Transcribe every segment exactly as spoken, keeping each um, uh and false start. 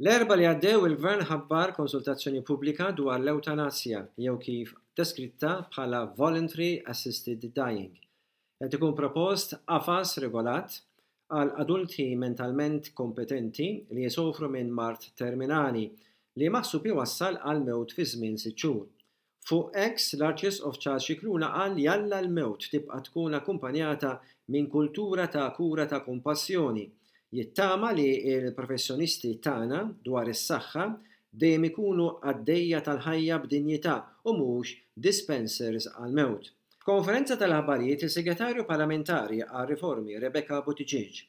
L-Erbgħa li għaddew il-Gvern ħabbar konsultazzjoni pubblika dwar l-ewtanasja jew kif deskritta bħala Voluntary Assisted Dying. Qed ikun propost qafas regolat għal adulti mentalment kompetenti li jisofru minn mard terminali li maħsub iwassal għal mewt fi żmien sitt xhur. Fuq X, l-Arċisqof Charles Scicluna qal li Alla l-mewt tibqa' tkun akkumpanjata minn kultura ta' kura ta' kompassjoni. Jittama li l-professjonisti tagħna dwar is-saħħa dejjem ikunu qaddejja tal-ħajja b'dinjità u mhux dispensers għal-mewt. F'konferenza tal-aħbarijiet, is-Segretarju Parlamentari għal-Riformi Rebecca Buttigieg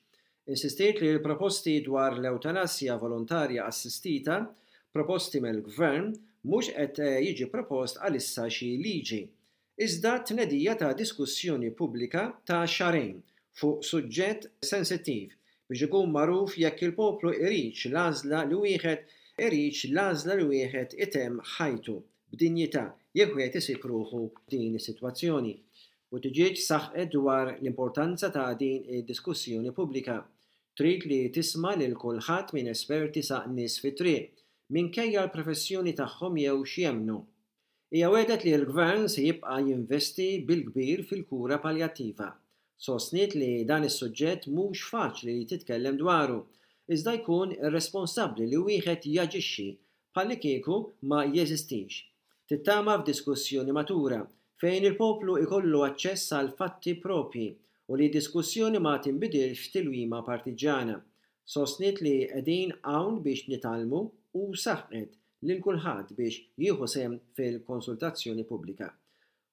insistiet li l-proposti dwar l-ewtanasja volontarja assistita proposti mill-Gvern mhux qed jiġi propost għalissa xi liġi, iżda tnedija ta' diskussjoni pubblika ta' xahrejn fuq suġġett sensittiv biex ikun magħruf jekk il-poplu iridx l-għażla li wieħed iridx l-għażla li wieħed itemm ħajtu b'dinjità jekk wieħed isib ruħu din is-sitwazzjoni. Buttigieg saħqet dwar l-importanza ta' din id-diskussjoni pubblika. Trid li tisma' lil kulħadd minn esperti sa nies fit-triq, minkejja l-professjoni tagħhom jew x'jemmnu. Hija wegħdet li l-Gvern se jibqa' jinvesti bil-kbir fil-kura paljattiva. Sostniet li dan is-suġġett mhux faċli li titkellem dwaru, iżda jkun irresponsabbli li wieħed jaġixxi bħallikieku ma jeżistix. Tittama f'diskussjoni matura fejn il-poplu ikollu aċċess għal fatti propji u li diskussjoni ma tinbidilx f'tilwima partiġana. Sostniet li qegħdin hawn biex nitgħallmu u saħqet lil kulħadd biex jieħu sehem fil-konsultazzjoni pubblika.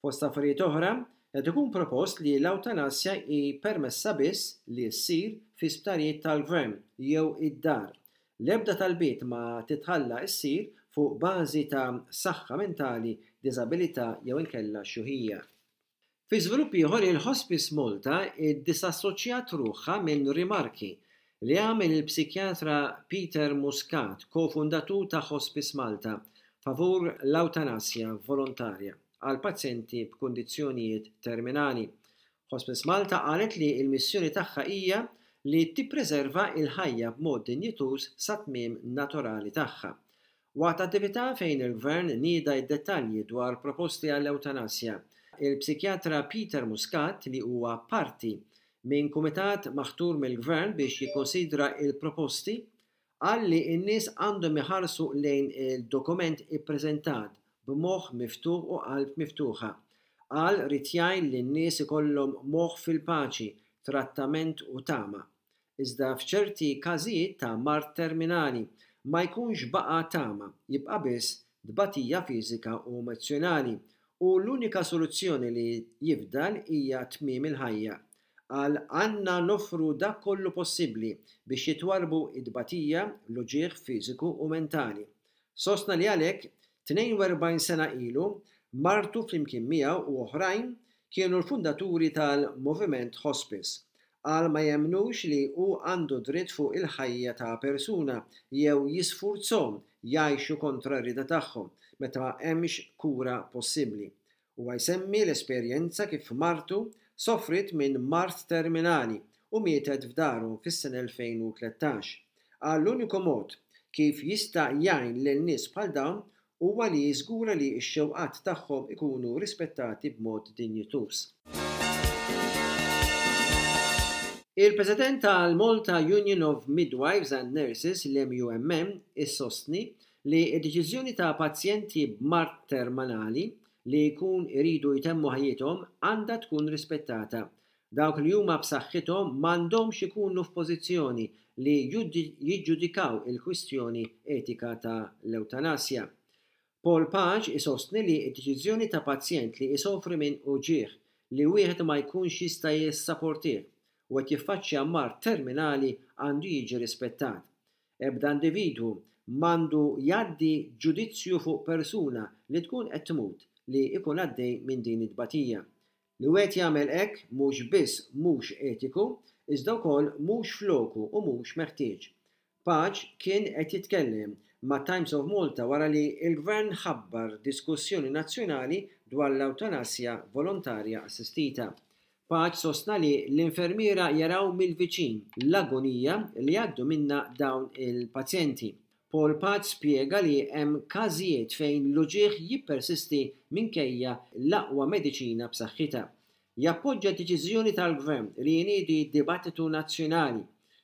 Fost affarijiet oħra, qed ikun propost li l-ewtanasja hi permessa biss li ssir fi sptarijiet tal-gvern jew id-dar. L-ebda talbiet ma titħalla ssir fuq bażi ta' saħħa mentali, diżabilità jew inkella xjuħija. Fi żvilupp ieħor, il-Hospice Malta iddisassoċjat ruħha minn rimarki li għamel il-psikjatra Peter Muscat, kofundatur ta' Hospice Malta, favur l-ewtanasja volontarja għal pazjenti b'kundizzjonijiet terminali. Hospice Malta qalet li l-missjoni tagħha hija li tippreserva il-ħajja b'mod dinjituż sa tmiem naturali tagħha. Waqt attività fejn il-Gvern nieda d-dettalji dwar proposti għall-ewtanasja, il-psikjatra Peter Muscat, li huwa parti minn kumitat maħtur mill-Gvern biex jikkonsidra il-proposti, qal li n-nies għandhom iħarsu lejn il-dokument ippreżentat b'moħħ miftuħ u qalb miftuħa. Qal ried jgħin li n-nies ikollhom moħħ fil-paċi, trattament u tama. Iżda f'ċerti każijiet ta' mard terminali ma jkunx baqa' tama, jibqa' biss tbatija fiżika u emozzjonali u l-unika soluzzjoni li jifdal hija tmiem il-ħajja. Qal għandna noffru dak kollu possibbli biex jitwarbu id-batija, l-uġigħ fiżiku u mentali. Sostna li għalhekk tnejn u erbgħin sena ilu martu flimkien miegħu u oħrajn kienu l-fundaturi tal-Moviment Hospice. Qal ma jemnux li hu għandu dritt fuq il-ħajja ta' persuna jew jisfurzhom jgħixu kontra r-rieda tagħhom meta ma hemmx kura possibbli. Huwa jsemmi l-esperjenza kif martu sofrit minn mard terminali u mietet f'daru fis-sena elfejn u tlettax. Qal l-uniku mod kif jista' jgħin lil nies bħal dawn huwa li jiżgura li x-xewqat tagħhom ikunu rispettati b'mod dinjituż. Il-President tal-Malta Union of Midwives and Nurses, l-M U M N, issostni li d-deċiżjoni ta' pazjenti b'mard terminali li jkun iridu jtemmu ħajjithom għandha tkun rispettata. Dawk li huma b'saħħithom m'għandhomx ikunu f'pożizzjoni li jiġġudikaw il-kwistjoni etika ta' l-ewtanasja. Paul Pace isostni li d-deċiżjoni ta' pazjent li isofri minn uġigħ li wieħed ma jkunx jista' jissaportih u qed jiffaċċja mard terminali għandu jiġi rispettat. Ebda individwu m'għandu jgħaddi ġudizzju fuq persuna li tkun qed tmut li jkun għaddej minn din it-tbatija. Li wieħed jagħmel hekk mhux biss mhux etiku, iżda wkoll mhux floku u mhux meħtieġ. Pace kien qed jitkellem ma' Times of Malta wara li l-Gvern ħabbar diskussjoni nazzjonali dwar l-ewtanasja volontarja assistita. Pace sostna li l-infermiera jaraw mill-viċin l-agonija li jgħaddu minna dawn il-pazjenti. Paul Pace spjega li hemm każijiet fejn l-uġigħ jippersisti minkejja l-aqwa mediċina b'saħħitha. Jappoġġa deċiżjoni tal-Gvern li jniedi dibattitu nazzjonali,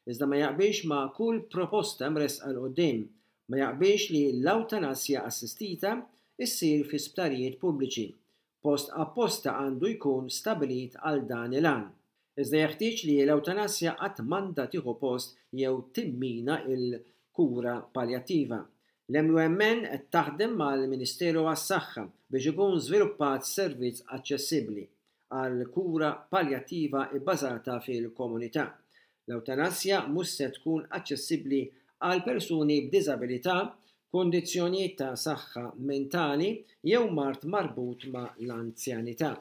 iżda ma jaqbilx ma' kull proposta mresqa 'l quddiem. Ma jaqbilx li l-awtanasja assistita issir fi sptarijiet pubbliċi. Post apposta għandu jkun stabilit għal dan il-għan. Iżda jeħtieġ li l-awtanasja qatt m'għandha tieħu post jew timmina il-kura paljattiva. L-M U M N qed taħdem mal-Ministeru għas-Saħħa biex ikun żviluppat servizz aċċessibbli għal kura paljattiva bbażata fil-komunità. L-awtanasja mhux se tkun aċċessibbli għal persuni b'diżabilità, kundizzjonijiet ta' saħħa mentali jew mard marbut ma' l-anzjanità.